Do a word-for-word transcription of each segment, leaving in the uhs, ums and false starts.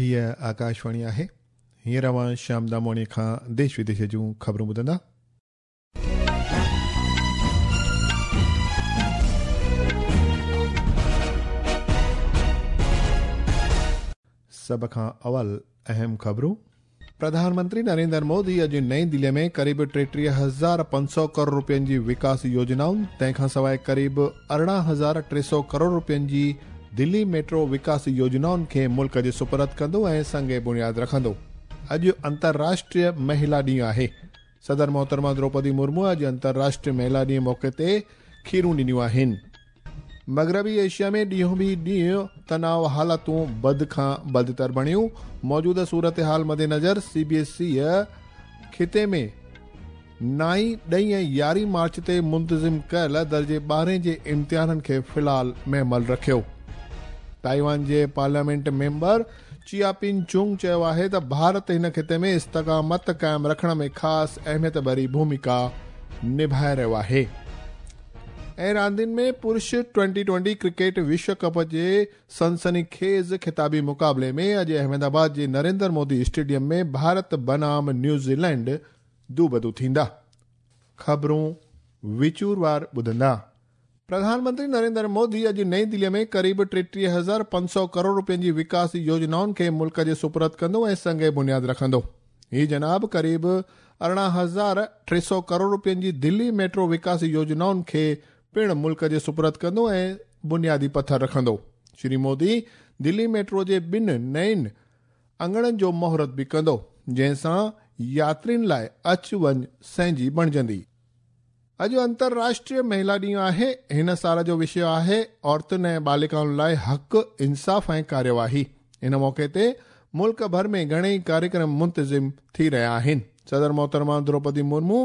हीअ आकाशवाणी आहे। हींअर अव्हां श्याम दामोणी खां देश विदेश जूं ख़बरूं ॿुधंदा। सभ खां अवल अहम ख़बरूं। प्रधानमंत्री नरेंद्र मोदी अॼु नई दिल्लीअ में क़रीब टेटीह हज़ार पंज सौ करोड़ रुपयनि जी विकास योजनाउनि, तंहिंखां सवाइ क़रीब अरिड़हं हज़ार टे सौ करोड़ रुपयनि जी दिल्ली मेट्रो विकास योजनाउनि खे मुल्क जे सुपुर्द कंदो ऐं संग बुनियाद रखंदो। अॼु अंतर्राष्ट्रीय महिला ॾींहुं आहे। सदर मोहतरमा द्रौपदी मुर्मू अॼु अंतर्राष्ट्रीय महिला ॾींहं मौक़े ते खीरूं ॾिनियूं आहिनि। मग़रबी एशिया में ॾींहों बि ॾींहुं तनाव हालतूं बद खां बदतर बणियूं। मौजूदा सूरत हाल मद्देनज़र सी बी एस ई ख़िते में नाई, ॾहीं ऐं यारहीं मार्च ते मुंतज़िम कयल दर्जे ॿारहें जे इम्तिहाननि खे फ़िलहाल महमल रखियो। ताइवान जे पार्लियामेंट मेंबर चिया पिन चुंग चयो आहे त भारत हिन ख़िते में इस्तक़ामत क़ाइमु रखण में ख़ासि अहमियत भरी भूमिका निभाए रहियो आहे। ऐं रांदियुनि में पुरुष ट्वेंटी ट्वेंटी क्रिकेट विश्व कप जे सनसनीखेज़ ख़िताबी मुक़ाबले में अॼु अहमदाबाद जे नरेंद्र मोदी स्टेडियम में भारत बनाम न्यूज़ीलैंड दूबदू थींदा। ख़बरूं विचूरवार ॿुधंदा। प्रधानमंत्री नरेंद्र मोदी अॼु नई दिल्लीअ में क़रीब टेटीह हज़ार पंज सौ करोड़ रुपयनि जी विकास योजनाउनि खे मुल्क जे सुपुर्द कंदो ऐं संग बुनियाद रखंदो। हीअ जनाब क़रीब अरिड़हं हज़ार टे सौ करोड़ रुपयनि जी दिल्ली मेट्रो विकास योजनाउनि खे पिणु मुल्क जे सुपुर्द कंदो ऐं बुनियादी पथर रखंदो। श्री मोदी दिल्ली मेट्रो जे ॿिनि नयुनि अंगणनि जो मुहूर्त बि कंदो, जंहिंसां यात्रियुनि लाइ अचु वञ सहजी बणिजंदी। अॼु अंतर्राष्ट्रीय महिला ॾींहुं आहे। हिन साल जो विषय आहे औरतुनि ऐं बालिकाउनि लाइ हक़, इंसाफ़ ऐं कार्यवाही। इन मौक़े ते मुल्क भर में घणेई कार्यक्रम मुंतज़िम थी रहिया आहिनि। सदर मोहतरमा द्रौपदी मुर्मू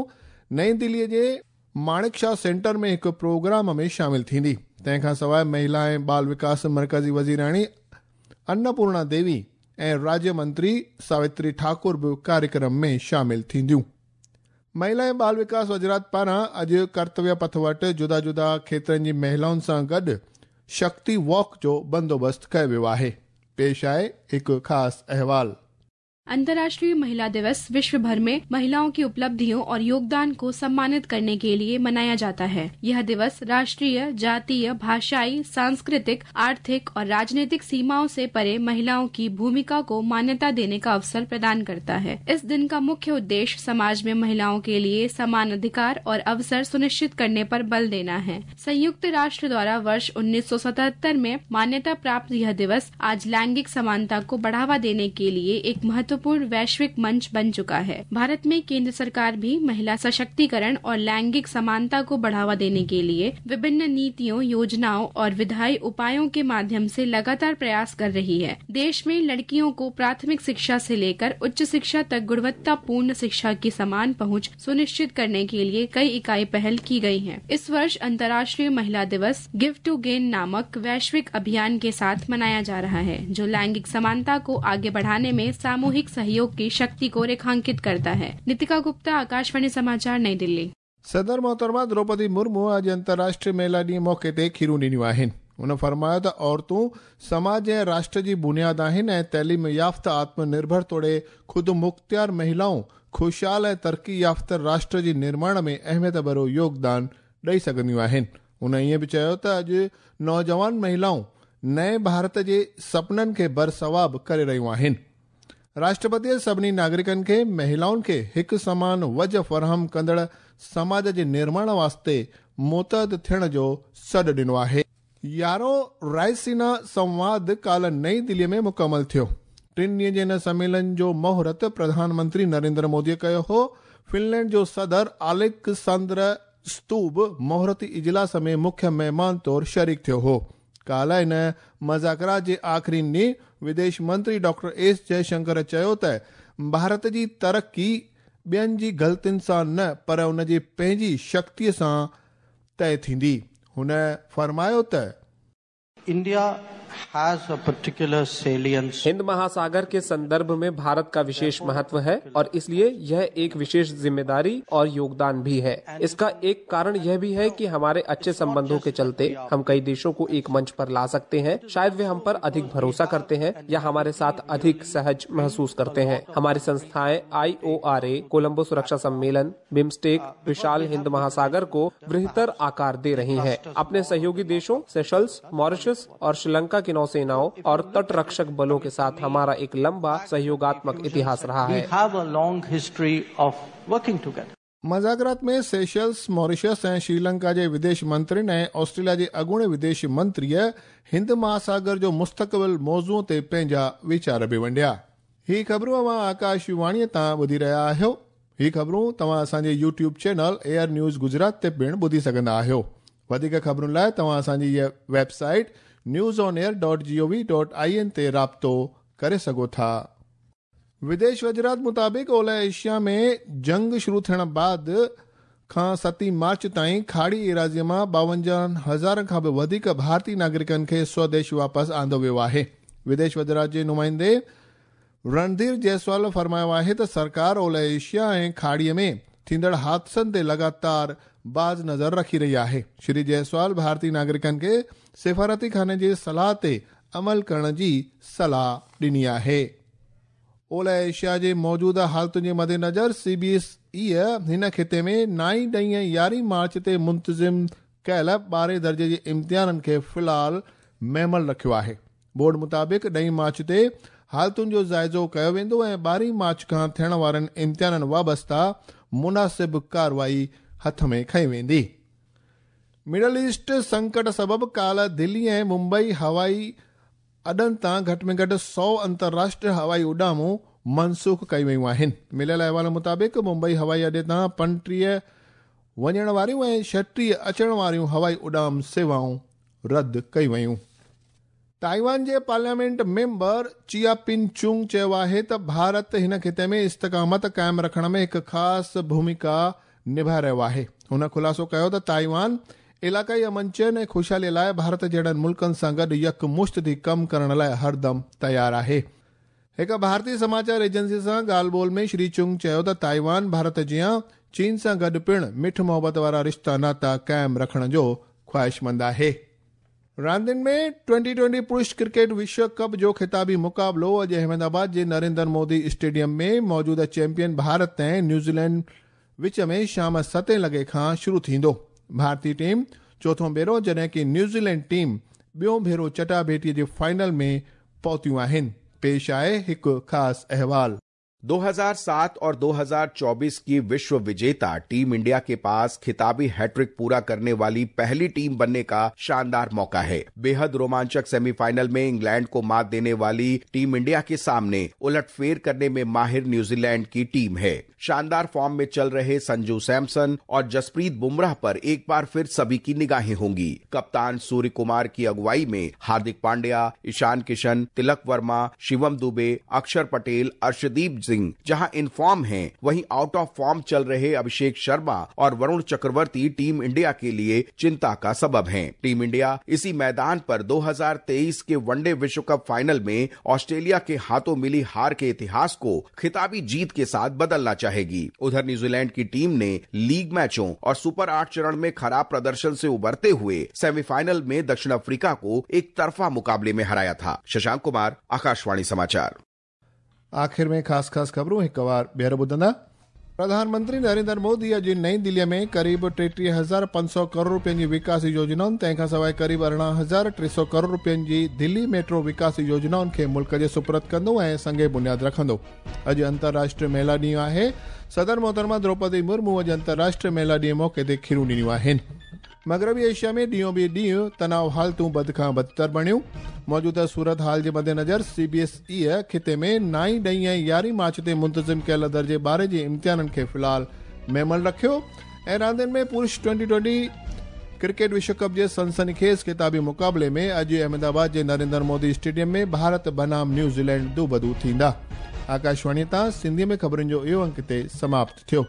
नई दिल्लीअ जे माणिक शाह सेंटर में हिकु प्रोग्राम में शामिल थींदी। तंहिंखां सवाइ महिला ऐं बाल विकास मर्कज़ी वज़ीराणी अन्नपूर्णा देवी ऐं राज्य मंत्री सावित्री ठाकुर बि कार्यक्रम में शामिल थींदियूं। महिला ऐं बाल विकास वज़ारत पारां अॼु कर्तव्य पथ वटि जुदा जुदा क्षेत्रनि जी महिलाउनि सां गॾु शक्ति वॉक जो बंदोबस्तु कयो वियो आहे। पेश आहे हिकु ख़ासि अहवाल। अंतर्राष्ट्रीय महिला दिवस विश्व भर में महिलाओं की उपलब्धियों और योगदान को सम्मानित करने के लिए मनाया जाता है। यह दिवस राष्ट्रीय, जातीय, भाषाई, सांस्कृतिक, आर्थिक और राजनीतिक सीमाओं से परे महिलाओं की भूमिका को मान्यता देने का अवसर प्रदान करता है। इस दिन का मुख्य उद्देश्य समाज में महिलाओं के लिए समान अधिकार और अवसर सुनिश्चित करने पर बल देना है। संयुक्त राष्ट्र द्वारा वर्ष उन्नीस सौ सतहत्तर में मान्यता प्राप्त यह दिवस आज लैंगिक समानता को बढ़ावा देने के लिए एक महत्व पूर्ण वैश्विक मंच बन चुका है। भारत में केंद्र सरकार भी महिला सशक्तिकरण और लैंगिक समानता को बढ़ावा देने के लिए विभिन्न नीतियों, योजनाओं और विधायी उपायों के माध्यम से लगातार प्रयास कर रही है। देश में लड़कियों को प्राथमिक शिक्षा से लेकर उच्च शिक्षा तक गुणवत्तापूर्ण शिक्षा की समान पहुंच सुनिश्चित करने के लिए कई इकाई पहल की गयी है। इस वर्ष अंतर्राष्ट्रीय महिला दिवस गिव टू गेन नामक वैश्विक अभियान के साथ मनाया जा रहा है, जो लैंगिक समानता को आगे बढ़ाने में सामूहिक सहयोग की शक्ति को रेखांकित करता है। नितिका गुप्ता, आकाशवाणी समाचार, नई दिल्ली। सदर मोहतरमा द्रौपदी मुर्मू अॼु अंतर्राष्ट्रीय महिला ॾींहं मौक़े ते खीरूं ॾिनियूं आहिनि। हुन फरमायो त औरतूं समाज ऐं राष्ट्र जी बुनियाद आहिनि ऐं तइलीम याफ़्ता, आत्मनिर्भर तोड़े ख़ुदि मुख़्तियार महिलाऊं ख़ुशहाल ऐं तरक़ी याफ़्ता राष्ट्र जी निर्माण में अहमियत भरियो योगदान ॾेई सघंदियूं आहिनि। हुन ईअं बि चयो त अॼु नौजवान महिलाऊं नए भारत जे सपननि खे बरसवाब करे रहियूं आहिनि। राष्ट्रपति सभिनी नागरिकनि खे महिलाउनि खे हिकु समान वज फराहम कंदड़ समाज जे निर्माण वास्ते मुतहद थियण जो सॾु ॾिनो आहे। यारहों रायसीना संवाद काल्ह नई दिल्लीअ में मुकमल थियो। टिनि ॾींहं जे हिन सम्मेलन जो मुहूर्त प्रधानमंत्री नरेंद्र मोदीअ कयो हो। फिनलैंड जो सदर आलेक्सांद्र स्तूब मुहूर्ती इजलास में मुख्य महिमान तौर शरीक थियो हो। काल्ह हिन मज़ाकरा जे आख़िरी ॾींहुं विदेश मंत्री डॉक्टर एस जयशंकर चयो त भारत जी तरक़ी ॿियनि जी ग़लतियुनि सां न पर उन जी पंहिंजी शक्तीअ सां तय थींदी। हुन फरमायो त India has a particular salience. Hind महासागर के संदर्भ में भारत का विशेष महत्व है और इसलिए यह एक विशेष जिम्मेदारी और योगदान भी है। इसका एक कारण यह भी है कि हमारे अच्छे संबंधों के चलते हम कई देशों को एक मंच पर ला सकते हैं। शायद वे हम पर अधिक भरोसा करते हैं या हमारे साथ अधिक सहज महसूस करते हैं। हमारी संस्थाएं आई ओ आर ए, कोलंबो सुरक्षा सम्मेलन, बिम्स्टेक विशाल हिंद महासागर को बृहत्तर आकार दे रही हैं। अपने सहयोगी देशों सेशल्स, मॉरिशस और श्रीलंका की नौसेनाओं और तट रक्षक बलों के साथ हमारा एक लंबा सहयोगात्मक इतिहास रहा है। We have a long history of working together. मज़ाकरात में सेशल्स, मॉरिशस ऐं श्रीलंका जे विदेश मंत्रियुनि ऐं ऑस्ट्रेलिया जे अॻूणे विदेश मंत्रीअ हिंद महासागर जो मुस्तक़बिल मौज़ू ते पंहिंजा वीचार बि वंडिया। ही ख़बरूं अव्हां आकाशवाणीअ तां ॿुधी रहिया आहियो। ही ख़बरूं तव्हां असांजे YouTube channel Air News Gujarat ते पिणु ॿुधी सघंदा आहियो। वधीक ख़बरुनि लाइ तव्हां असांजी हीअ website news on air dot G O V dot I N ते राब्तो करे सघो था। विदेश वज़ारत मुताबिक़ ओलह एशिया में जंग शुरू थियण बाद खां सती मार्च ताईं खाड़ी एराज़ीअ मां ॿावंजाह हज़ार खां बि वधीक भारतीय नागरिकनि खे स्वदेश वापसि आंदो वियो आहे। विदेश वज़ारत जे नुमाइंदे रणधीर जायसवाल फरमायो आहे त सरकार ओलह एशिया ऐं खाड़ीअ में थींदड़ हादसनि ते लगातार बाज़ नज़र रखी रही आहे। श्री जायसवाल भारतीय नागरिकनि खे सिफारती खाने जी सलाह ते अमल करण जी सलाह ॾिनी आहे। ओलह एशिया जे मौजूदा हालतुनि जे मद्देनज़र सी बी एस ई हिन ख़िते में नाई, ॾहीं ऐं यारहीं मार्च ते मुंतज़िम कयल ॿारहें दर्जे जे इम्तिहाननि खे फ़िलहाल महमल रखियो आहे। बोर्ड मुताबिक़ ॾहीं मार्च ते हालतुनि जो जाइज़ो कयो वेंदो ऐं ॿारहीं मार्च खां थियण वारनि इम्तिहाननि वाबस्ता मुनासिब कार्रवाई हथ में खई वेंदी। मिडल ईस्ट संकट सबबि काल्ह दिल्ली ऐं मुंबई हवाई अॾनि तां घटि में घटि सौ अंतर्राष्ट्रीय हवाई उॾामूं मनसूख कई वयूं आहिनि। मिलियल अहवाल मुताबिक़ मुंबई हवाई अॾे तां पंटीह वञण वारियूं ऐं छटीह अचण वारियूं हवाई उॾाम सेवाऊं रद्द कई वयूं। ताइवान जे पार्लियामेंट मेंबर चिया पिन चुंग चयो आहे त भारत हिन ख़िते में इस्तिक़ामत क़ाइमु रखण में हिकु ख़ासि भूमिका निभाए रहियो आहे। हुन ख़ुलासो कयो त ताइवान इलाक़ाई अमन चैन ऐं ख़ुशहाली लाइ भारत जहिड़नि मुल्कनि सां गॾु यकमुश्त थी कमु करण लाइ हरदम तयारु आहे। हिकु भारतीय समाचार एजेंसी सां ॻाल्हि ॿोल में श्री चुंग चयो त ताइवान भारत जीअं चीन सां गॾु पिणु मिठ मोहबत वारा रिश्ता नाता क़ाइमु रखण जो ख़्वाहिशमंद आहे। रांदियुनि में ट्वेंटी ट्वेंटी पुरुष क्रिकेट विश्व कप जो ख़िताबी मुक़ाबिलो अॼु अहमदाबाद जे नरेंद्र मोदी स्टेडियम में मौजूदा चैंपियन भारत ऐं न्यूज़ीलैंड विच में शाम सतें लॻे खां शुरू थींदो। भारतीय टीम चोथों भेरो जॾहिं की न्यूज़ीलैंड टीम ॿियो भेरो चटाभेटीअ जे फाइनल में पहुतियूं आहिनि। पेश आहे हिकु ख़ासि अहवाल। दो हज़ार सात और दो हज़ार चौबीस की विश्व विजेता टीम इंडिया के पास खिताबी हैट्रिक पूरा करने वाली पहली टीम बनने का शानदार मौका है। बेहद रोमांचक सेमीफाइनल में इंग्लैंड को मात देने वाली टीम इंडिया के सामने उलटफेर करने में माहिर न्यूजीलैंड की टीम है। शानदार फॉर्म में चल रहे संजू सैमसन और जसप्रीत बुमराह पर एक बार फिर सभी की निगाहें होंगी। कप्तान सूर्य कुमार की अगुवाई में हार्दिक पांड्या, ईशान किशन, तिलक वर्मा, शिवम दुबे, अक्षर पटेल, अर्शदीप सिंह जहां इन फॉर्म हैं, वहीं आउट ऑफ फॉर्म चल रहे अभिषेक शर्मा और वरुण चक्रवर्ती टीम इंडिया के लिए चिंता का सबब हैं। टीम इंडिया इसी मैदान पर दो हज़ार तेईस के वनडे विश्व कप फाइनल में ऑस्ट्रेलिया के हाथों मिली हार के इतिहास को खिताबी जीत के साथ बदलना चाहेगी। उधर न्यूजीलैंड की टीम ने लीग मैचों और सुपर आठ चरण में खराब प्रदर्शन से उबरते हुए सेमीफाइनल में दक्षिण अफ्रीका को एक तरफा मुकाबले में हराया था। शशांक कुमार, आकाशवाणी समाचार। आख़िर में ख़ासि ख़ासि ख़बरूं हिकु वार ॿीहर ॿुधंदा। प्रधानमंत्री नरेंद्र मोदी अॼु नई दिल्लीअ में क़रीबु टेटीह हज़ार पंज सौ करोड़ रुपयनि जी विकास योजनाउनि, तंहिंखां सवाइ क़रीबु अरिड़हं हज़ार टे सौ करोड़ रुपयनि जी दिल्ली मेट्रो विकास योजनाउनि खे मुल्क जे सुपुर्द कंदो ऐं संगे बुनियाद रखंदो। अॼु अंतर्राष्ट्रीय महिला ॾींहुं आहे। सदर मोहतरमा द्रौपदी मुर्मू अॼु अंतर्राष्ट्रीय महिला ॾींहं मौक़े ते खीरूं ॾिनियूं आहिनि। मग़रबी एशिया में ॾींहों ॿिए ॾींहुं तनाव हालतूं बद खां बदतर बणियूं। मौजूदा सूरत हाल जे मद्देनज़र सी बी एस ई ख़िते में नाई, ॾहीं ऐं यारहीं मार्च ते मुंतज़िम कयल दर्जे ॿारहं जे इम्तिहाननि खे फ़िलहाल महमल रखियो। ऐं रांदियुनि में पुरुष ट्वेंटी ट्वेंटी क्रिकेट विश्व कप जे सनसनीखेज़ ख़िताबी मुक़ाबले में अॼु अहमदाबाद जे नरेंद्र मोदी स्टेडियम में भारत बनाम न्यूज़ीलैंड दूबदू थींदा। आकाशवाणी तां सिंधीअ में ख़बरुनि जो इहो अंक हिते समाप्त थियो।